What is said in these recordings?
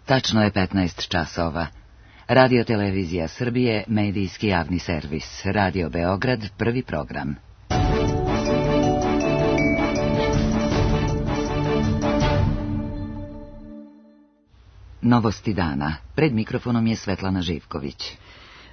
Tačno je 15 časova. Radio Televizija Srbije, medijski javni servis. Radio Beograd, prvi program. Novosti dana. Pred mikrofonom je Svetlana Živković.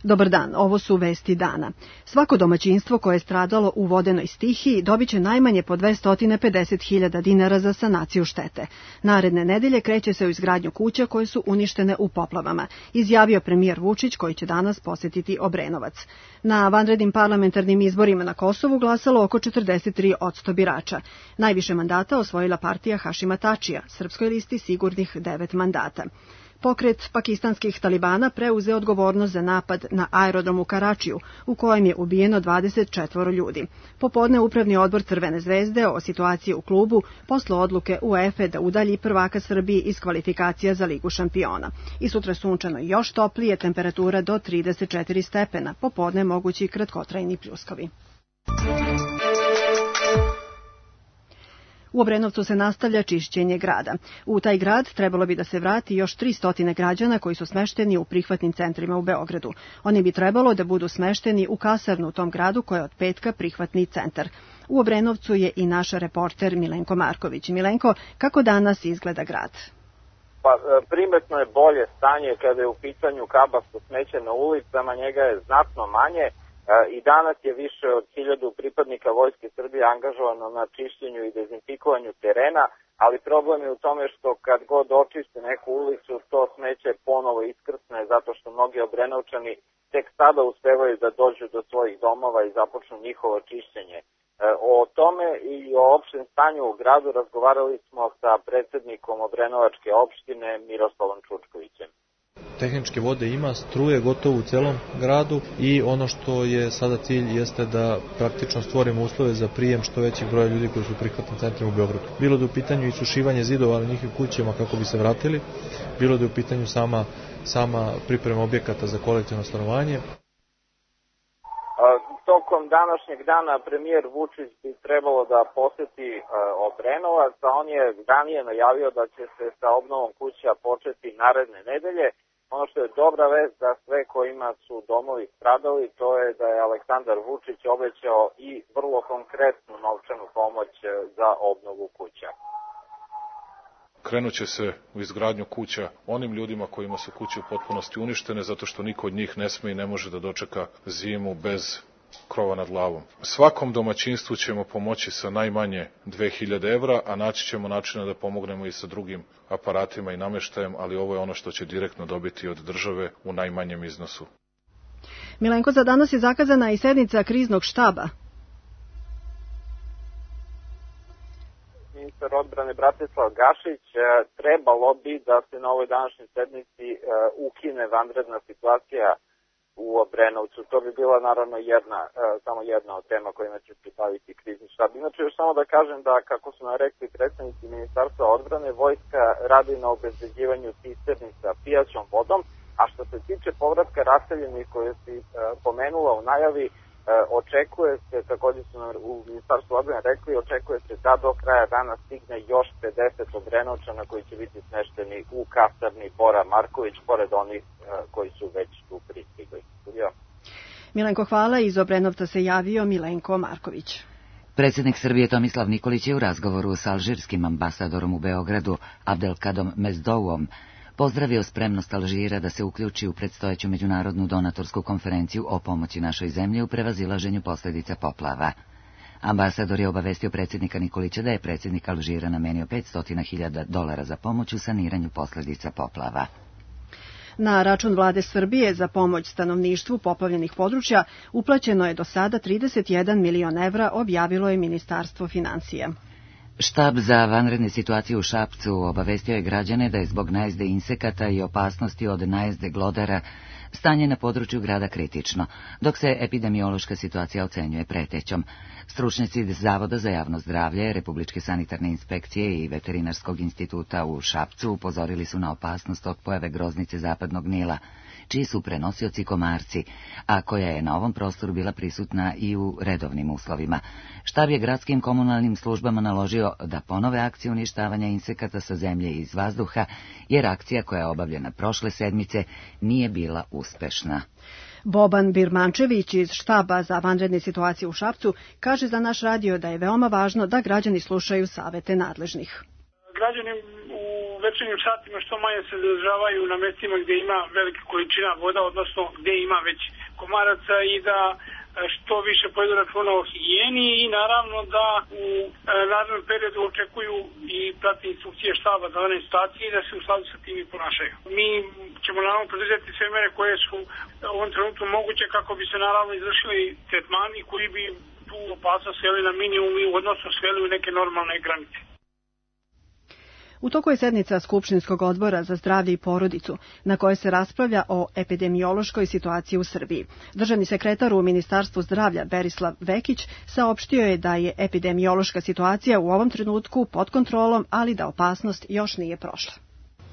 Dobar dan, ovo su vesti dana. Svako domaćinstvo koje je stradalo u vodenoj stihiji dobit će najmanje po 250.000 dinara za sanaciju štete. Naredne nedelje kreće se u izgradnju kuća koje su uništene u poplavama, izjavio premijer Vučić koji će danas posetiti Obrenovac. Na vanrednim parlamentarnim izborima na Kosovu glasalo oko 43% birača. Najviše mandata osvojila partija Hašima Tačija, Srpskoj listi sigurnih 9 mandata. Pokret pakistanskih talibana preuzeo odgovornost za napad na aerodrom u Karačiju, u kojem je ubijeno 24 ljudi. Popodne Upravni odbor Crvene zvezde o situaciji u klubu poslao odluke UEFA da udalji prvaka Srbiji iz kvalifikacija za Ligu šampiona. I sutra sunčano i još toplije, temperatura do 34 stepena, popodne mogući kratkotrajni pljuskovi. U Obrenovcu se nastavlja čišćenje grada. U taj grad trebalo bi da se vrati još 300 građana koji su smešteni u prihvatnim centrima u Beogradu. Oni bi trebalo da budu smešteni u kasarnu u tom gradu koja je od petka prihvatni centar. U Obrenovcu je i naš reporter Milenko Marković. Milenko, kako danas izgleda grad? Primetno je bolje stanje kada je u pitanju kabasto smeće na ulicama, njega je znatno manje. I danas je više od 1000 pripadnika Vojske Srbije angažovano na čišćenju i dezinfikovanju terena, ali problem je u tome što kad god očiste neku ulicu, to smeće ponovo iskrsne zato što mnogi Obrenovčani tek sada uspevaju da dođu do svojih domova i započnu njihovo čišćenje. O tome i o opštem stanju u gradu razgovarali smo sa predsednikom Obrenovačke opštine Miroslavom Čučkovićem. Tehničke vode ima, struje gotovo u celom gradu i ono što je sada cilj jeste da praktično stvorimo uslove za prijem što većeg broja ljudi koji su u prihvatnim centrima u Beogradu. Bilo da je u pitanju isušivanje zidova na njihovim kućama kako bi se vratili, bilo da je u pitanju sama priprema objekata za kolektivno stanovanje. Tokom današnjeg dana premijer Vučić bi trebalo da poseti Obrenovac, a on je ranije najavio da će se sa obnovom kuća početi naredne nedelje. Ono što je dobra vest za sve kojima su domovi stradali, to je da je Aleksandar Vučić obećao i vrlo konkretnu novčanu pomoć za obnovu kuća. Krenuće se u izgradnju kuća onim ljudima kojima su kuće u potpunosti uništene, zato što niko od njih ne sme i ne može da dočeka zimu bez krova nad glavom. Svakom domaćinstvu ćemo pomoći sa najmanje 2000 evra, a naći ćemo načina da pomognemo i sa drugim aparatima i nameštajem, ali ovo je ono što će direktno dobiti od države u najmanjem iznosu. Milenko, za danas je zakazana i sednica kriznog štaba. Ministar odbrane Bratislav Gašić trebalo bi da se na ovoj današnjoj sednici ukine vanredna situacija u Obrenovcu. To bi bila naravno samo jedna od tema kojima će se baviti krizni štab. Inače, još samo da kažem da, kako su nam rekli predstavnici Ministarstva odbrane, vojska radi na obezbeđivanju cisterni sa pijaćom vodom, a što se tiče povratka raseljenih koje si pomenula u najavi, očekuje se, također su nam u Ministarstvu odbrane rekli, očekuje se da do kraja dana stigne još 50 Obrenovčana koji će biti smešteni u kasarni Bora Marković, pored onih koji su već tu pristigli. Milenko, hvala. Iz Obrenovca se javio Milenko Marković. Predsjednik Srbije Tomislav Nikolić je u razgovoru sa alžirskim ambasadorom u Beogradu, Abdelkadom Mezdouom, pozdravio spremnost Alžira da se uključi u predstojeću međunarodnu donatorsku konferenciju o pomoći našoj zemlji u prevazilaženju posljedica poplava. Ambasador je obavestio predsjednika Nikolića da je predsjednik Alžira namenio $500.000 za pomoć u saniranju posljedica poplava. Na račun vlade Srbije za pomoć stanovništvu poplavljenih područja uplaćeno je do sada 31 milion evra, objavilo je Ministarstvo finansija. Štab za vanredne situacije u Šapcu obavestio je građane da je zbog najezde insekata i opasnosti od najezde glodara stanje na području grada kritično, dok se epidemiološka situacija ocenjuje pretećom. Stručnjaci Zavoda za javno zdravlje, Republičke sanitarne inspekcije i Veterinarskog instituta u Šapcu upozorili su na opasnost od pojave groznice zapadnog Nila, čiji su prenosioci komarci, a koja je na ovom prostoru bila prisutna i u redovnim uslovima. Štab je gradskim komunalnim službama naložio da ponove akcije uništavanja insekata sa zemlje i iz vazduha, jer akcija koja je obavljena prošle sedmice nije bila uspešna. Boban Birmančević iz štaba za vanredne situacije u Šapcu kaže za naš radio da je veoma važno da građani slušaju savete nadležnih. Građani u večernjim satima što manje se zadržavaju na mestima gdje ima velika količina voda, odnosno gdje ima već komaraca, i da što više povedu računa o higijeni i naravno da u narednom periodu očekuju i prati instrukcije štaba za vanredne situacije i da se u skladu sa tim i ponašaju. Mi ćemo naravno podržati sve mere koje su u ovom trenutku moguće kako bi se naravno izvršili tretmani koji bi tu opasnost sveli na minimum i odnosno sveli u neke normalne granice. U toku je sednica Skupštinskog odbora za zdravlje i porodicu, na kojoj se raspravlja o epidemiološkoj situaciji u Srbiji. Državni sekretar u Ministarstvu zdravlja Berislav Vekić saopštio je da je epidemiološka situacija u ovom trenutku pod kontrolom, ali da opasnost još nije prošla.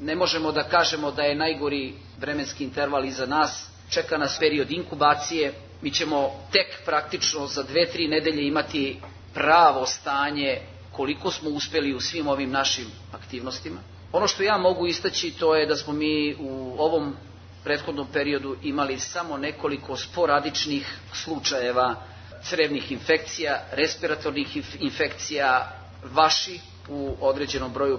Ne možemo da kažemo da je najgori vremenski interval iza nas. Čeka nas period inkubacije. Mi ćemo tek praktično za 2-3 nedelje imati pravo stanje koliko smo uspeli u svim ovim našim aktivnostima. Ono što ja mogu istaći to je da smo mi u ovom prethodnom periodu imali samo nekoliko sporadičnih slučajeva crevnih infekcija, respiratornih infekcija, vaši u određenom broju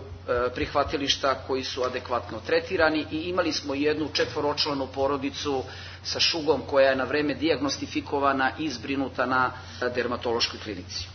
prihvatilišta koji su adekvatno tretirani i imali smo jednu 4-članu porodicu sa šugom koja je na vreme dijagnostifikovana i zbrinuta na dermatološkoj klinici.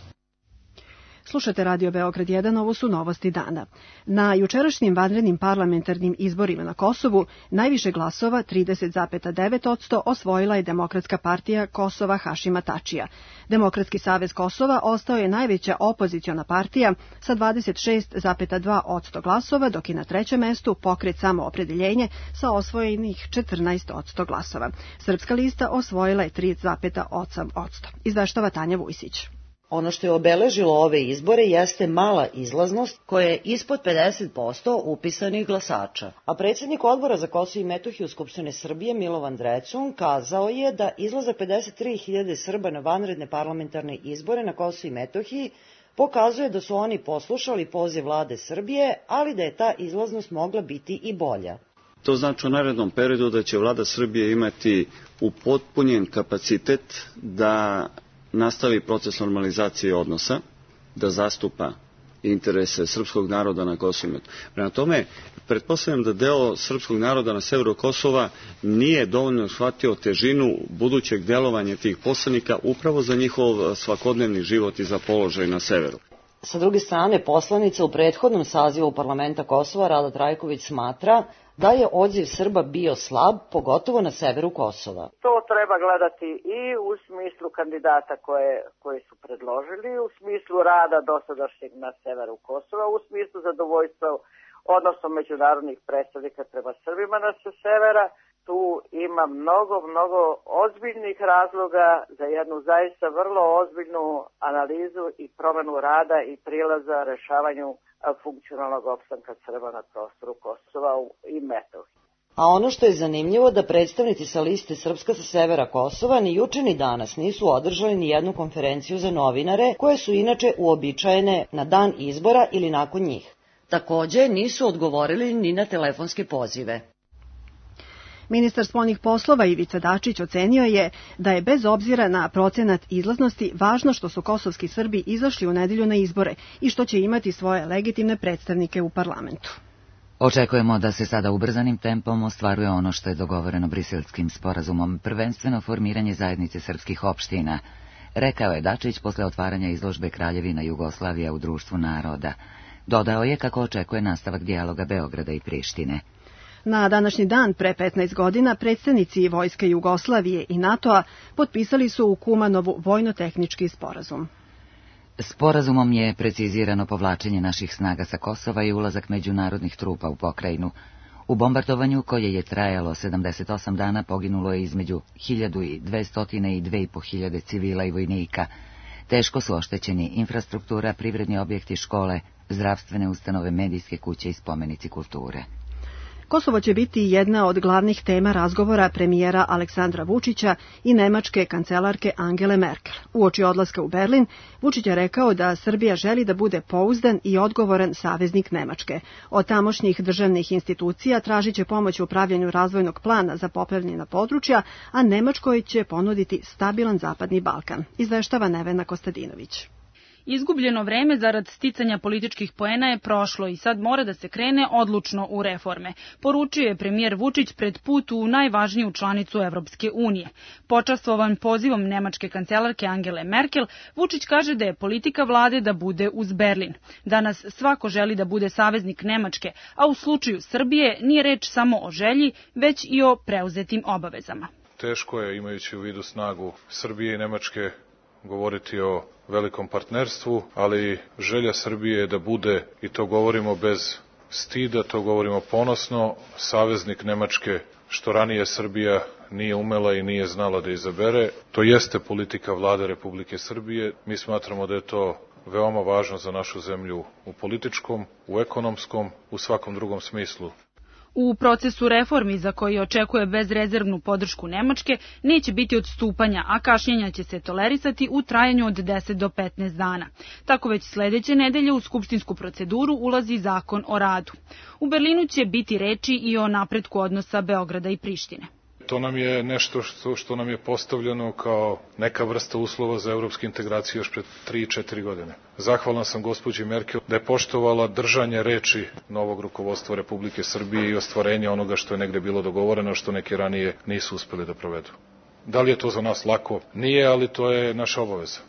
Slušate Radio Beograd 1, ovo su novosti dana. Na jučerašnjim vanrednim parlamentarnim izborima na Kosovu najviše glasova, 30,9%, osvojila je Demokratska partija Kosova Hašima Tačija. Demokratski savez Kosova ostao je najveća opoziciona partija sa 26,2% glasova, dok je na trećem mestu Pokret Samoopredeljenje sa osvojenih 14% glasova. Srpska lista osvojila je 3,8%. Izveštava Tanja Vujsić. Ono što je obeležilo ove izbore jeste mala izlaznost koja je ispod 50% upisanih glasača. A predsjednik odbora za Kosovo i Metohiju Skupštine Srbije Milovan Drecun kazao je da izlazak 53.000 Srba na vanredne parlamentarne izbore na Kosovo i Metohiji pokazuje da su oni poslušali poziv vlade Srbije, ali da je ta izlaznost mogla biti i bolja. To znači u narednom periodu da će vlada Srbije imati upotpunjen kapacitet da nastavi proces normalizacije odnosa, da zastupa interese srpskog naroda na Kosovu i Metohiji. Prema tome, pretpostavljam da deo srpskog naroda na severu Kosova nije dovoljno shvatio težinu budućeg delovanja tih poslanika upravo za njihov svakodnevni život i za položaj na severu. Sa druge strane, poslanica u prethodnom sazivu parlamenta Kosova, Rada Trajković, smatra da je odziv Srba bio slab, pogotovo na severu Kosova. To treba gledati i u smislu kandidata koje su predložili, u smislu rada dosadašnjeg na severu Kosova, u smislu zadovoljstva, odnosno međunarodnih predstavnika prema Srbima na severa. Tu ima mnogo ozbiljnih razloga za jednu zaista vrlo ozbiljnu analizu i promenu rada i prilaza rešavanju funkcionalnog opstanka Srba na prostoru Kosova i Metohije. A ono što je zanimljivo da predstavnici sa liste Srpska sa severa Kosova ni juče ni danas nisu održali ni jednu konferenciju za novinare, koje su inače uobičajene na dan izbora ili nakon njih. Takođe nisu odgovorili ni na telefonske pozive. Ministar spoljnih poslova Ivica Dačić ocenio je da je bez obzira na procenat izlaznosti važno što su kosovski Srbi izašli u nedelju na izbore i što će imati svoje legitimne predstavnike u parlamentu. Očekujemo da se sada ubrzanim tempom ostvaruje ono što je dogovoreno Briselskim sporazumom, prvenstveno formiranje zajednice srpskih opština, rekao je Dačić posle otvaranja izložbe Kraljevina Jugoslavija u Društvu naroda. Dodao je kako očekuje nastavak dijaloga Beograda i Prištine. Na današnji dan pre 15 godina predstavnici Vojske Jugoslavije i NATO-a potpisali su u Kumanovu vojno-tehnički sporazum. Sporazumom je precizirano povlačenje naših snaga sa Kosova i ulazak međunarodnih trupa u pokrajinu. U bombardovanju koje je trajalo 78 dana poginulo je između 1200 i 2500 civila i vojnika. Teško su oštećeni infrastruktura, privredni objekti, škole, zdravstvene ustanove, medijske kuće i spomenici kulture. Kosovo će biti jedna od glavnih tema razgovora premijera Aleksandra Vučića i nemačke kancelarke Angele Merkel. Uoči odlaska u Berlin, Vučić je rekao da Srbija želi da bude pouzdan i odgovoran saveznik Nemačke. Od tamošnjih državnih institucija tražit će pomoć u upravljanju razvojnog plana za poplavljena područja, a Nemačkoj će ponuditi stabilan Zapadni Balkan, izveštava Nevena Kostadinović. Izgubljeno vreme zarad sticanja političkih poena je prošlo i sad mora da se krene odlučno u reforme, poručio je premijer Vučić pred put u najvažniju članicu Evropske unije. Počastvovan pozivom nemačke kancelarke Angele Merkel, Vučić kaže da je politika vlade da bude uz Berlin. Danas svako želi da bude saveznik Nemačke, a u slučaju Srbije nije reč samo o želji, već i o preuzetim obavezama. Teško je, imajući u vidu snagu Srbije i Nemačke, govoriti o velikom partnerstvu, ali želja Srbije je da bude, i to govorimo bez stida, to govorimo ponosno, saveznik Nemačke, što ranije Srbija nije umela i nije znala da izabere. To jeste politika vlade Republike Srbije. Mi smatramo da je to veoma važno za našu zemlju u političkom, u ekonomskom, u svakom drugom smislu. U procesu reformi za koji očekuje bezrezervnu podršku Nemačke neće biti odstupanja, a kašnjenja će se tolerisati u trajanju od 10 do 15 dana. Tako već sledeće nedelje u skupštinsku proceduru ulazi zakon o radu. U Berlinu će biti reči i o napretku odnosa Beograda i Prištine. To nam je nešto što nam je postavljeno kao neka vrsta uslova za evropske integracije još pred 3-4 godine. Zahvalan sam gospođi Merkel da je poštovala držanje reči novog rukovodstva Republike Srbije i ostvarenja onoga što je negde bilo dogovoreno, što neki ranije nisu uspeli da provedu. Da li je to za nas lako? Nije, ali to je naša obaveza.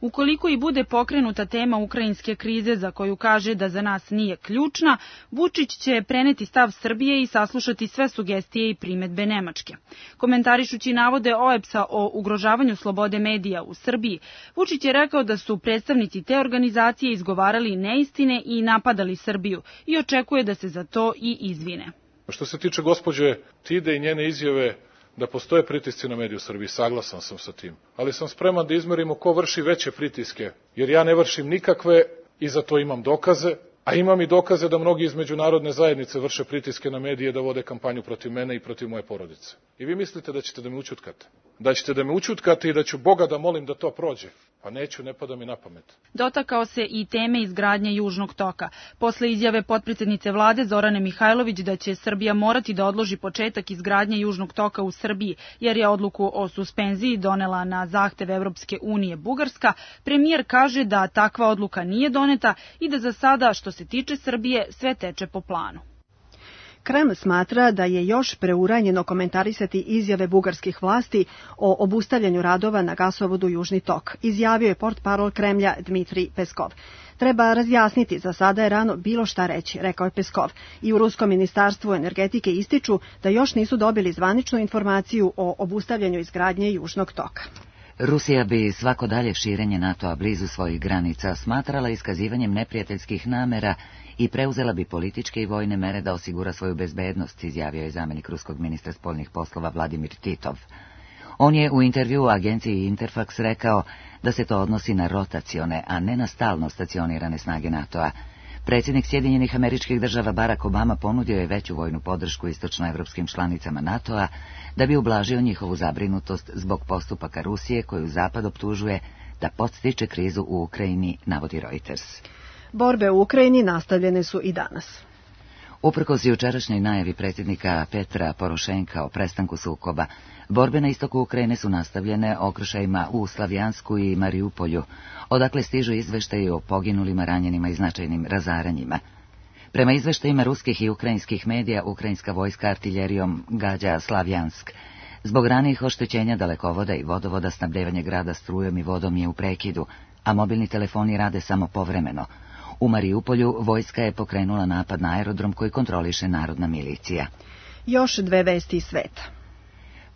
Ukoliko i bude pokrenuta tema ukrajinske krize za koju kaže da za nas nije ključna, Vučić će preneti stav Srbije i saslušati sve sugestije i primedbe Nemačke. Komentarišući navode OEBS-a o ugrožavanju slobode medija u Srbiji, Vučić je rekao da su predstavnici te organizacije izgovarali neistine i napadali Srbiju i očekuje da se za to i izvine. Što se tiče gospođe Tide i njene izjave da postoje pritisci na mediju u Srbiji, saglasan sam sa tim. Ali sam spreman da izmerimo ko vrši veće pritiske, jer ja ne vršim nikakve i za to imam dokaze, a imam i dokaze da mnogi iz međunarodne zajednice vrše pritiske na medije da vode kampanju protiv mene i protiv moje porodice. I vi mislite da ćete da me ućutkate? Da ćete da me ućutkate i da ću Boga da molim da to prođe? Pa neću, ne pada mi na pamet. Dotakao se i teme izgradnje Južnog toka. Posle izjave potpredsednice vlade Zorane Mihajlović da će Srbija morati da odloži početak izgradnje Južnog toka u Srbiji, jer je odluku o suspenziji donela na zahtev Evropske unije Bugarska, premijer kaže da takva odluka nije doneta i da za sada, što se tiče Srbije, sve teče po planu. Kreml smatra da je još preuranjeno komentarisati izjave bugarskih vlasti o obustavljanju radova na gasovodu Južni tok, izjavio je portparol Kremlja Dmitrij Peskov. Treba razjasniti, za sada je rano bilo šta reći, rekao je Peskov. I u Ruskom ministarstvu energetike ističu da još nisu dobili zvaničnu informaciju o obustavljanju izgradnje Južnog toka. Rusija bi svako dalje širenje NATO-a blizu svojih granica smatrala iskazivanjem neprijateljskih namera i preuzela bi političke i vojne mere da osigura svoju bezbednost, izjavio je zamenik ruskog ministra spoljnih poslova Vladimir Titov. On je u intervjuu agenciji Interfax rekao da se to odnosi na rotacione, a ne na stalno stacionirane snage NATO-a. Predsjednik Sjedinjenih Američkih Država Barack Obama ponudio je veću vojnu podršku istočnoevropskim članicama NATO-a da bi ublažio njihovu zabrinutost zbog postupaka Rusije koju Zapad optužuje da podstiče krizu u Ukrajini, navodi Reuters. Borbe u Ukrajini nastavljene su i danas. Uprkos jučerašnjoj najavi predsjednika Petra Porošenka o prestanku sukoba, borbe na istoku Ukrajine su nastavljene okršajima u Slavjansku i Mariupolju, odakle stižu izveštaji o poginulima, ranjenima i značajnim razaranjima. Prema izveštajima ruskih i ukrajinskih medija, ukrajinska vojska artiljerijom gađa Slavjansk. Zbog ranijih oštećenja dalekovoda i vodovoda snabdevanje grada strujom i vodom je u prekidu, a mobilni telefoni rade samo povremeno. U Mariupolju vojska je pokrenula napad na aerodrom koji kontroliše narodna milicija. Još dve vesti iz sveta.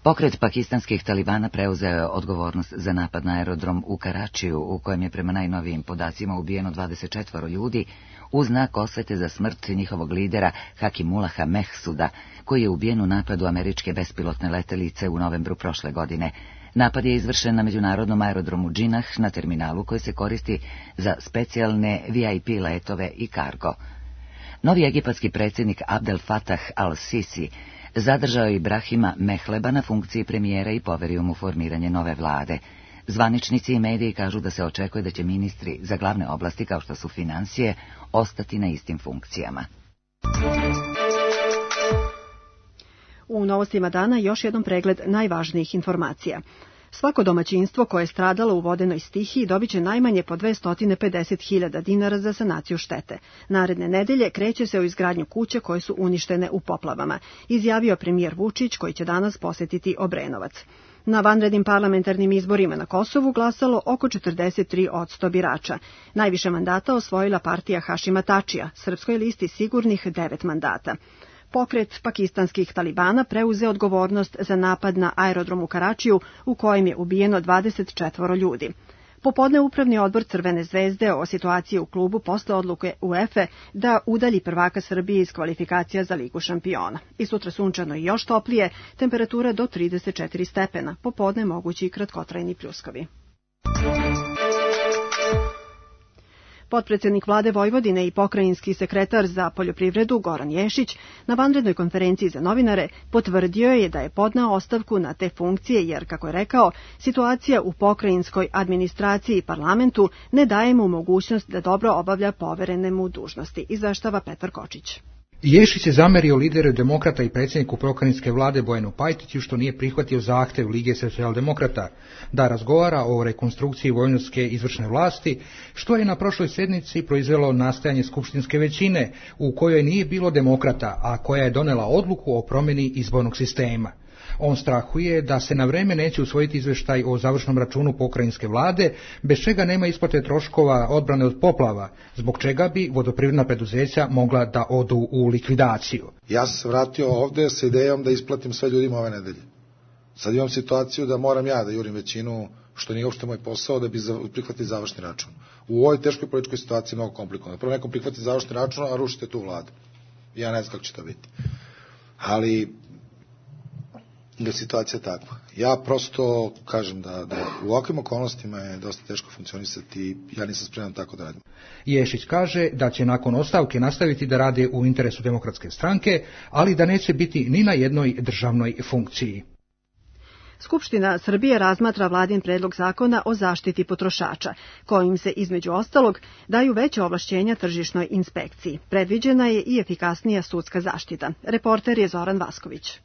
Pokret pakistanskih talibana preuzeo je odgovornost za napad na aerodrom u Karačiju, u kojem je prema najnovijim podacima ubijeno 24 ljudi, u znak osvete za smrt njihovog lidera Hakimullaha Mehsuda, koji je ubijen u napadu američke bespilotne letelice u novembru prošle godine. Napad je izvršen na međunarodnom aerodromu Džinah, na terminalu koji se koristi za specijalne VIP letove i kargo. Novi egipatski predsjednik Abdel Fattah al-Sisi zadržao je Ibrahima Mehleba na funkciji premijera i poverio mu formiranje nove vlade. Zvaničnici i mediji kažu da se očekuje da će ministri za glavne oblasti kao što su financije ostati na istim funkcijama. U novostima dana još jedan pregled najvažnijih informacija. Svako domaćinstvo koje je stradalo u vodenoj stihiji dobit će najmanje po 250.000 dinara za sanaciju štete. Naredne nedelje kreće se u izgradnju kuće koje su uništene u poplavama, izjavio premijer Vučić koji će danas posetiti Obrenovac. Na vanrednim parlamentarnim izborima na Kosovu glasalo oko 43% birača. Najviše mandata osvojila partija Hašima Tačija, srpskoj listi sigurnih 9 mandata. Pokret pakistanskih talibana preuzeo odgovornost za napad na aerodrom u Karačiju u kojem je ubijeno 24 ljudi. Popodne Upravni odbor Crvene zvezde o situaciji u klubu posle odluke UEFA da udalji prvaka Srbije iz kvalifikacija za Ligu šampiona. I sutra sunčano i još toplije, temperatura do 34 stepena, popodne mogući i kratkotrajni pljuskovi. Potpredsjednik vlade Vojvodine i pokrajinski sekretar za poljoprivredu Goran Ješić na vanrednoj konferenciji za novinare potvrdio je da je podneo ostavku na te funkcije jer, kako je rekao, situacija u pokrajinskoj administraciji i parlamentu ne daje mu mogućnost da dobro obavlja poverene mu dužnosti, izveštava Petar Kočić. Ješić je zamerio lideru demokrata i predsjedniku pokrajinske vlade Bojanu Pajtiću što nije prihvatio zahtev Lige socijaldemokrata da razgovara o rekonstrukciji vojvodinske izvršne vlasti, što je na prošloj sjednici proizvelo nastajanje skupštinske većine u kojoj nije bilo demokrata, a koja je donela odluku o promjeni izbornog sistema. On strahuje da se na vreme neće usvojiti izvještaj o završnom računu pokrajinske vlade, bez čega nema isplate troškova odbrane od poplava, zbog čega bi vodoprivredna preduzeća mogla da odu u likvidaciju. Ja sam se vratio ovde sa idejom da isplatim sve ljudima ove nedelje. Sad imam situaciju da moram ja da jurim većinu, što nije uopšte moj posao, da bi prihvatili završni račun. U ovoj teškoj političkoj situaciji mnogo komplikovano. Prvo nekom prihvatiti završni račun, a rušite tu vladu. Ja ne znam kako će to biti. Ali da situacija takva. Ja prosto kažem da u ovakvim okolnostima je dosta teško funkcionisati i ja nisam spreman tako da radim. Ješić kaže da će nakon ostavke nastaviti da rade u interesu Demokratske stranke, ali da neće biti ni na jednoj državnoj funkciji. Skupština Srbije razmatra vladin predlog zakona o zaštiti potrošača, kojim se, između ostalog, daju veće ovlašćenja tržišnoj inspekciji. Predviđena je i efikasnija sudska zaštita. Reporter je Zoran Vasković.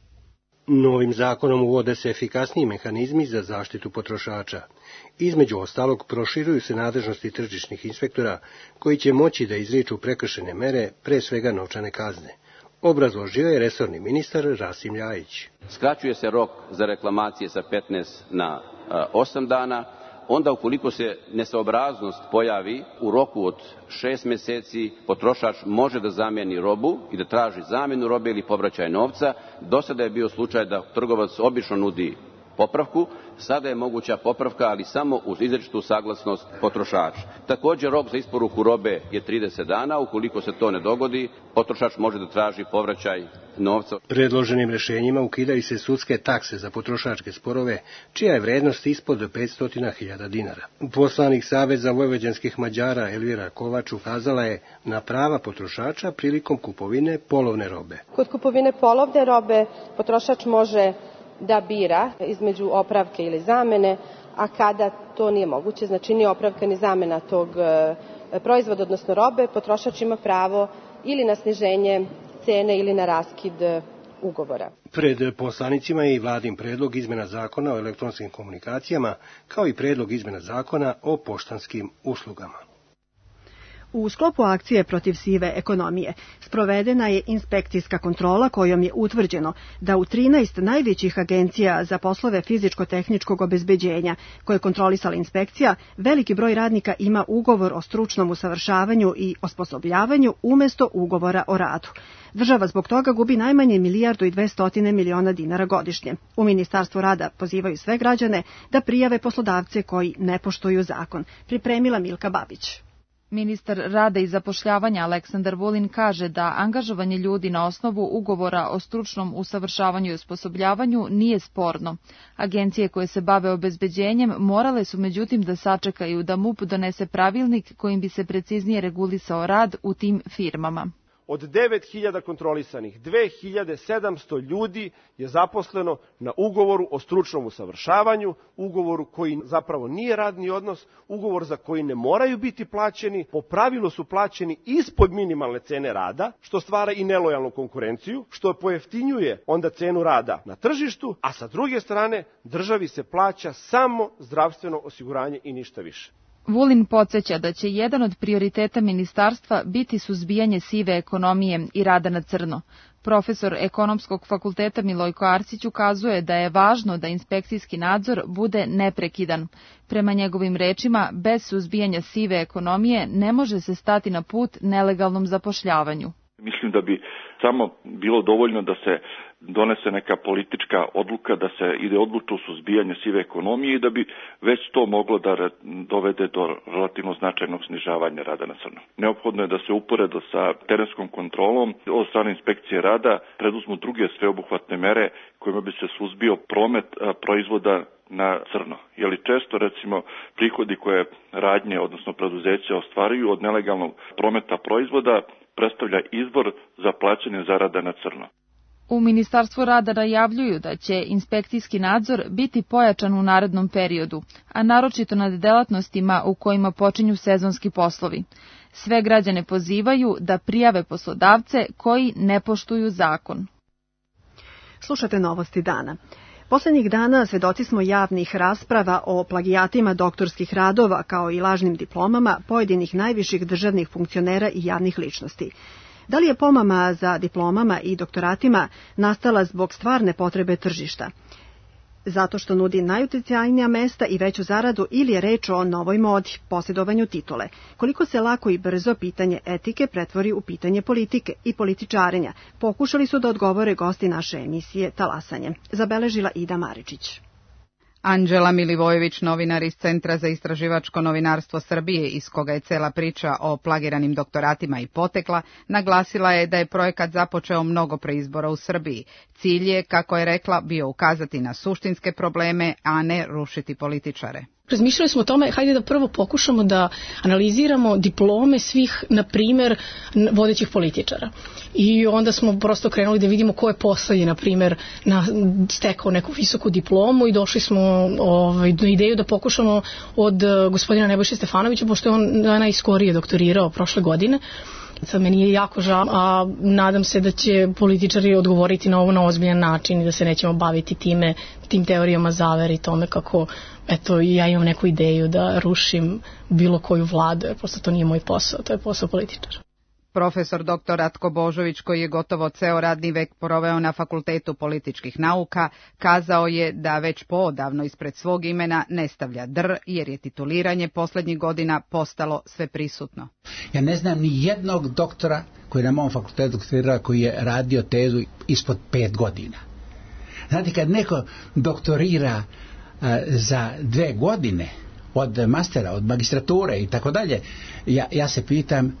Novim zakonom uvode se efikasniji mehanizmi za zaštitu potrošača. Između ostalog, proširuju se nadležnosti tržišnih inspektora koji će moći da izriču prekršajne mere, pre svega novčane kazne. Obrazložio je resorni ministar Rasim Ljajić. Skraćuje se rok za reklamacije sa 15 na 8 dana. Onda ukoliko se nesaobraznost pojavi u roku od 6 meseci, potrošač može da zamijeni robu i da traži zamjenu robe ili povraćaj novca. Do sada je bio slučaj da trgovac obično nudi popravku, sada je moguća popravka, ali samo uz izričitu saglasnost potrošača. Također rok za isporuku robe je 30 dana, ukoliko se to ne dogodi, potrošač može da traži povraćaj novca. Predloženim rješenjima ukidaju se sudske takse za potrošačke sporove, čija je vrednost ispod 500.000 dinara. Poslanik Saveza vojvođanskih Mađara Elvira Kovač ukazala je na prava potrošača prilikom kupovine polovne robe. Kod kupovine polovne robe potrošač može da bira između opravke ili zamene, a kada to nije moguće, znači ni opravka ni zamena tog proizvoda, odnosno robe, potrošač ima pravo ili na sniženje cene ili na raskid ugovora. Pred poslanicima je i vladin predlog izmjena zakona o elektronskim komunikacijama, kao i predlog izmjena zakona o poštanskim uslugama. U sklopu akcije protiv sive ekonomije sprovedena je inspekcijska kontrola kojom je utvrđeno da u 13 najvećih agencija za poslove fizičko-tehničkog obezbeđenja koje je kontrolisala inspekcija, veliki broj radnika ima ugovor o stručnom usavršavanju i osposobljavanju umjesto ugovora o radu. Država zbog toga gubi najmanje 1.200.000.000 dinara godišnje. U Ministarstvu rada pozivaju sve građane da prijave poslodavce koji ne poštuju zakon. Pripremila Milka Babić. Ministar rada i zapošljavanja Aleksandar Vulin kaže da angažovanje ljudi na osnovu ugovora o stručnom usavršavanju i osposobljavanju nije sporno. Agencije koje se bave obezbeđenjem morale su međutim da sačekaju da MUP donese pravilnik kojim bi se preciznije regulisao rad u tim firmama. od 9.000 kontrolisanih, 2.700 ljudi je zaposleno na ugovoru o stručnom usavršavanju, ugovoru koji zapravo nije radni odnos, ugovor za koji ne moraju biti plaćeni, po pravilu su plaćeni ispod minimalne cene rada, što stvara i nelojalnu konkurenciju, što pojeftinjuje onda cenu rada na tržištu, a sa druge strane državi se plaća samo zdravstveno osiguranje i ništa više. Vulin podsjeća da će jedan od prioriteta ministarstva biti suzbijanje sive ekonomije i rada na crno. Profesor Ekonomskog fakulteta Milojko Arsić ukazuje da je važno da inspekcijski nadzor bude neprekidan. Prema njegovim rečima, bez suzbijanja sive ekonomije ne može se stati na put nelegalnom zapošljavanju. Mislim da bi samo bilo dovoljno da se donese neka politička odluka, da se ide odlučno u suzbijanje sive ekonomije i da bi već to moglo da dovede do relativno značajnog snižavanja rada na crno. Neophodno je da se uporedo sa terenskom kontrolom od strane inspekcije rada preduzmu druge sveobuhvatne mere kojima bi se suzbio promet proizvoda na crno. Jer često, recimo, prihodi koje radnje, odnosno preduzeća ostvaruju od nelegalnog prometa proizvoda predstavlja izvor za plaćanje zarada na crno. U Ministarstvu rada najavljuju da će inspekcijski nadzor biti pojačan u narednom periodu, a naročito nad delatnostima u kojima počinju sezonski poslovi. Sve građane pozivaju da prijave poslodavce koji ne poštuju zakon. Slušate novosti dana. Poslednjih dana svedoci smo javnih rasprava o plagijatima doktorskih radova kao i lažnim diplomama pojedinih najviših državnih funkcionera i javnih ličnosti. Da li je pomama za diplomama i doktoratima nastala zbog stvarne potrebe tržišta? Zato što nudi najuticajnija mesta i veću zaradu ili je reč o novoj modi, posjedovanju titule? Koliko se lako i brzo pitanje etike pretvori u pitanje politike i političarenja? Pokušali su da odgovore gosti naše emisije Talasanje. Zabeležila Ida Maričić. Anđela Milivojević, novinar iz Centra za istraživačko novinarstvo Srbije, iz koga je cela priča o plagiranim doktoratima i potekla, naglasila je da je projekat započeo mnogo pre izbora u Srbiji. Cilj je, kako je rekla, bio ukazati na suštinske probleme, a ne rušiti političare. Razmišljali smo o tome, hajde da prvo pokušamo da analiziramo diplome svih, na primer, vodećih političara. I onda smo prosto krenuli da vidimo ko je poslednji, na primer, stekao neku visoku diplomu i došli smo do ideju da pokušamo od gospodina Nebojše Stefanovića, pošto je on najskorije doktorirao prošle godine. Sad meni je jako žao, a nadam se da će političari odgovoriti na ovo na ozbiljan način i da se nećemo baviti tim teorijama zavere i tome kako, eto, ja imam neku ideju da rušim bilo koju vladu, jer prosto to nije moj posao, to je posao političara. Profesor dr. Ratko Božović, koji je gotovo ceo radni vek proveo na Fakultetu političkih nauka, kazao je da već poodavno ispred svog imena ne stavlja dr, jer je tituliranje poslednjih godina postalo sve prisutno. Ja ne znam ni jednog doktora koji je na mom fakultetu doktorirao koji je radio tezu ispod 5 godina. Znate, kad neko doktorira za 2 godine od mastera, od magistrature i tako dalje, ja se pitam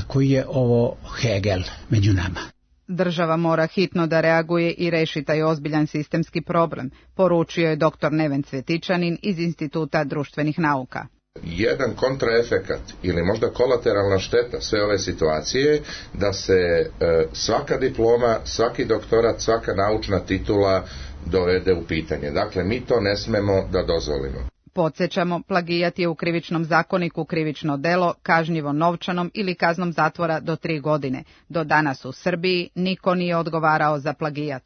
koji je ovo Hegel među nama. Država mora hitno da reaguje i reši taj ozbiljan sistemski problem, poručio je dr. Neven Cvetičanin iz Instituta društvenih nauka. Jedan kontraefekat ili možda kolateralna šteta sve ove situacije da se svaka diploma, svaki doktorat, svaka naučna titula dovede u pitanje. Dakle, mi to ne smemo da dozvolimo. Podsjećamo, plagijat je u Krivičnom zakoniku krivično delo, kažnjivo novčanom ili kaznom zatvora do 3 godine. Do danas u Srbiji niko nije odgovarao za plagijat.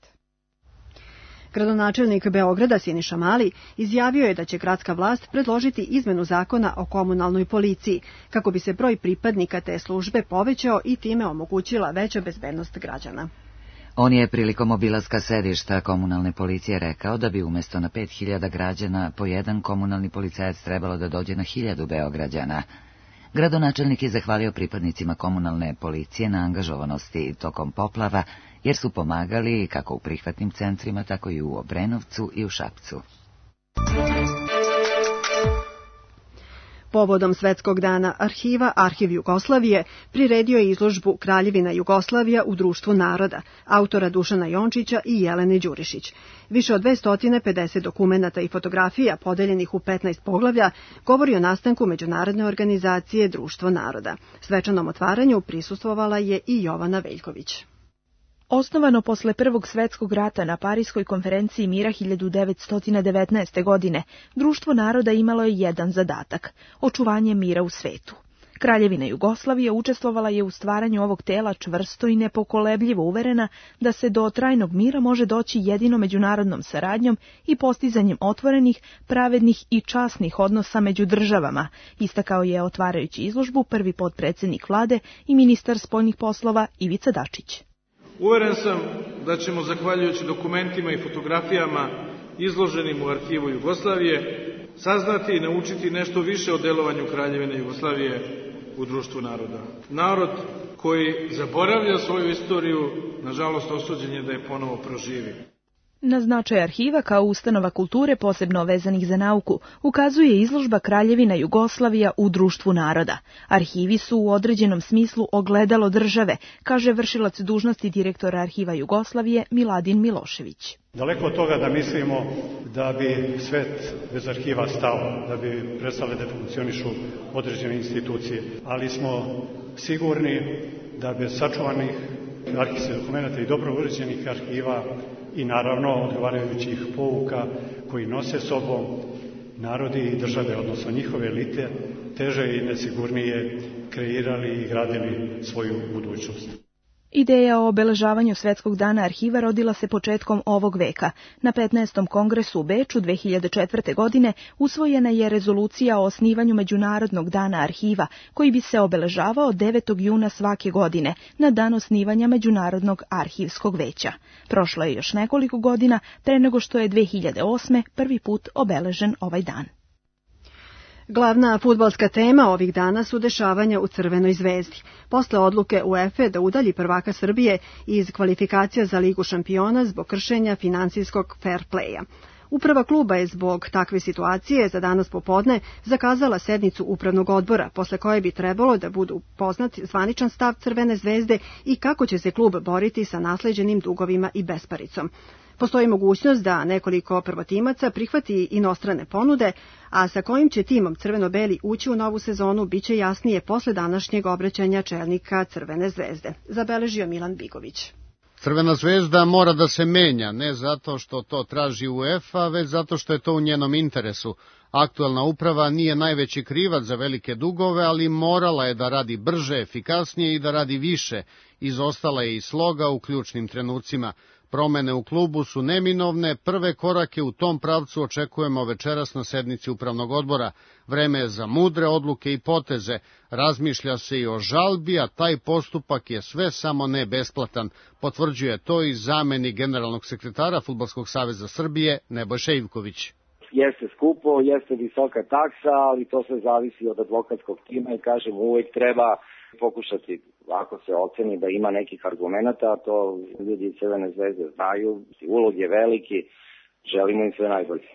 Gradonačelnik Beograda Siniša Mali izjavio je da će gradska vlast predložiti izmenu zakona o komunalnoj policiji, kako bi se broj pripadnika te službe povećao i time omogućila veća bezbednost građana. On je prilikom obilaska sedišta komunalne policije rekao da bi umjesto na 5000 građana po jedan komunalni policajac trebalo da dođe na 1000 Beograđana. Gradonačelnik je zahvalio pripadnicima komunalne policije na angažovanosti tokom poplava, jer su pomagali kako u prihvatnim centrima, tako i u Obrenovcu i u Šapcu. Povodom Svetskog dana arhiva, Arhiv Jugoslavije priredio je izložbu Kraljevina Jugoslavija u Društvu naroda, autora Dušana Jončića i Jelene Đurišić. Više od 250 dokumenata i fotografija podeljenih u 15 poglavlja govori o nastanku međunarodne organizacije Društvo naroda. Svečanom otvaranju prisustvovala je i Jovana Veljković. Osnovano posle Prvog svetskog rata na Pariskoj konferenciji mira 1919. godine, Društvo naroda imalo je jedan zadatak – očuvanje mira u svetu. Kraljevina Jugoslavija učestvovala je u stvaranju ovog tela čvrsto i nepokolebljivo uverena da se do trajnog mira može doći jedino međunarodnom saradnjom i postizanjem otvorenih, pravednih i časnih odnosa među državama, istakao je otvarajući izložbu prvi potpredsednik vlade i ministar spoljnih poslova Ivica Dačić. Uveren sam da ćemo, zahvaljujući dokumentima i fotografijama izloženim u Arhivu Jugoslavije, saznati i naučiti nešto više o delovanju Kraljevine Jugoslavije u Društvu naroda. Narod koji zaboravlja svoju istoriju, nažalost osuđen je da je ponovo proživi. Na značaj arhiva kao ustanova kulture posebno vezanih za nauku ukazuje izložba Kraljevina Jugoslavija u Društvu naroda. Arhivi su u određenom smislu ogledalo države, kaže vršilac dužnosti direktora Arhiva Jugoslavije Miladin Milošević. Daleko od toga da mislimo da bi svet bez arhiva stao, da bi prestale da funkcionišu određene institucije, ali smo sigurni da bez sačuvanih arhivskih dokumenta i dobro uređenih arhiva i naravno odgovarajućih pouka koji nose sobom narodi i države, odnosno njihove elite, teže i nesigurnije kreirali i gradili svoju budućnost. Ideja o obeležavanju Svetskog dana arhiva rodila se početkom ovog veka. Na 15. kongresu u Beču 2004. godine usvojena je rezolucija o osnivanju Međunarodnog dana arhiva, koji bi se obeležavao 9. juna svake godine, na dan osnivanja Međunarodnog arhivskog veća. Prošlo je još nekoliko godina pre nego što je 2008. prvi put obeležen ovaj dan. Glavna fudbalska tema ovih dana su dešavanja u Crvenoj zvezdi. Posle odluke UEFA da udalji prvaka Srbije iz kvalifikacija za Ligu šampiona zbog kršenja finansijskog fair playa. Uprava kluba je zbog takve situacije za danas popodne zakazala sednicu upravnog odbora, posle koje bi trebalo da budu poznat zvaničan stav Crvene zvezde i kako će se klub boriti sa nasleđenim dugovima i besparicom. Postoji mogućnost da nekoliko prvotimaca prihvati inostrane ponude, a sa kojim će timom crveno-beli ući u novu sezonu biće jasnije posle današnjeg obraćanja čelnika Crvene zvezde, zabeležio Milan Bigović. Crvena zvezda mora da se menja, ne zato što to traži UEFA, već zato što je to u njenom interesu. Aktuelna uprava nije najveći krivac za velike dugove, ali morala je da radi brže, efikasnije i da radi više. Izostala je i sloga u ključnim trenucima. Promene u klubu su neminovne, prve korake u tom pravcu očekujemo večeras na sednici upravnog odbora. Vreme je za mudre odluke i poteze, razmišlja se i o žalbi, a taj postupak je sve samo ne besplatan, potvrđuje to i zamenik generalnog sekretara Fudbalskog saveza Srbije Nebojša Ivković. Jeste skupo, jeste visoka taksa, ali to sve zavisi od advokatskog tima i kažem uvek treba pokušati, ako se oceni da ima nekih argumenata, to ljudi iz Crvene zvezde znaju, ulog je veliki, želimo im sve najbolje.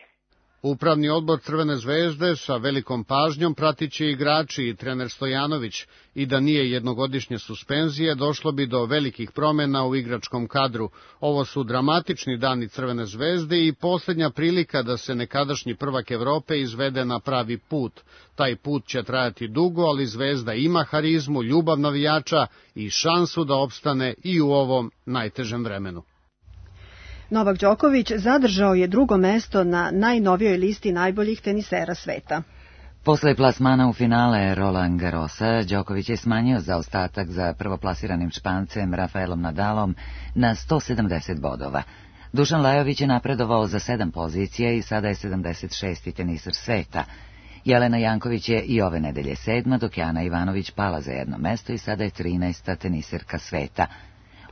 Upravni odbor Crvene zvezde sa velikom pažnjom pratit će igrači i trener Stojanović i da nije jednogodišnje suspenzije došlo bi do velikih promjena u igračkom kadru. Ovo su dramatični dani Crvene zvezde i posljednja prilika da se nekadašnji prvak Evrope izvede na pravi put. Taj put će trajati dugo, ali Zvezda ima harizmu, ljubav navijača i šansu da opstane i u ovom najtežem vremenu. Novak Đoković zadržao je drugo mesto na najnovijoj listi najboljih tenisera sveta. Posle plasmana u finale Roland Garrosa, Đoković je smanjio zaostatak za prvoplasiranim Špancem Rafaelom Nadalom na 170 bodova. Dušan Lajović je napredovao za 7 pozicija i sada je 76. teniser sveta. Jelena Janković je i ove nedelje 7, dok je Ana Ivanović pala za jedno mesto i sada je 13. teniserka sveta.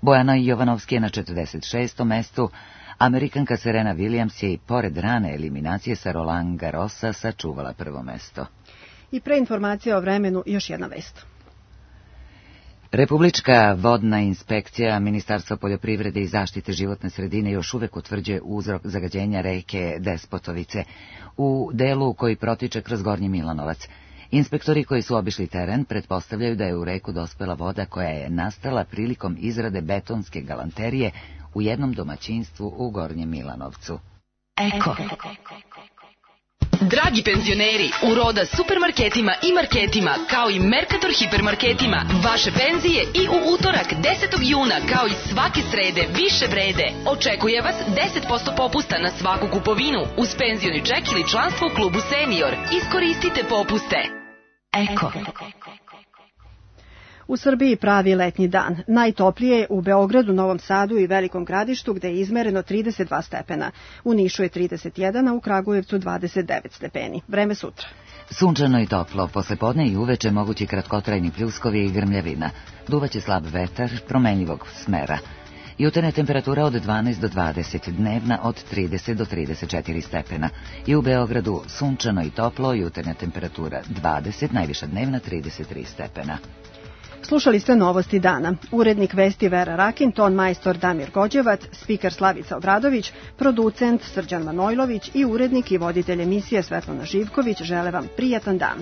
Bojana Jovanovski je na 46. mestu, Amerikanka Serena Williams je i pored rane eliminacije sa Roland Garrosa sačuvala prvo mesto. I pre informacija o vremenu još jedna vest. Republička vodna inspekcija Ministarstva poljoprivrede i zaštite životne sredine još uvek utvrđuje uzrok zagađenja reke Despotovice u delu koji protiče kroz Gornji Milanovac. Inspektori koji su obišli teren pretpostavljaju da je u reku dospela voda koja je nastala prilikom izrade betonske galanterije u jednom domaćinstvu u Gornjem Milanovcu. Eko. Dragi penzioneri, u Roda supermarketima i marketima, kao i Mercator hipermarketima, vaše penzije i u utorak 10. juna, kao i svake srede, više vrede. Očekuje vas 10% popusta na svaku kupovinu, uz penzioni ček ili članstvo u klubu Senior. Iskoristite popuste. Eko. U Srbiji pravi letnji dan. Najtoplije je u Beogradu, Novom Sadu i Velikom Gradištu, gde je izmereno 32 stepena. U Nišu je 31, a u Kragujevcu 29 stepeni. Vreme sutra. Sunčano i toplo, poslepodne i uveče mogući kratkotrajni pljuskovi i grmljavina. Duvaće slab vetar, promenljivog smera. Jutarnja temperatura od 12 do 20, dnevna od 30 do 34 stepena. I u Beogradu sunčano i toplo, jutarnja temperatura 20, najviša dnevna 33 stepena. Slušali ste novosti dana. Urednik vesti Vera Rakin, ton majstor Damir Gođevac, spiker Slavica Obradović, producent Srđan Manojlović i urednik i voditelj emisije Svetlana Živković žele vam prijatan dan.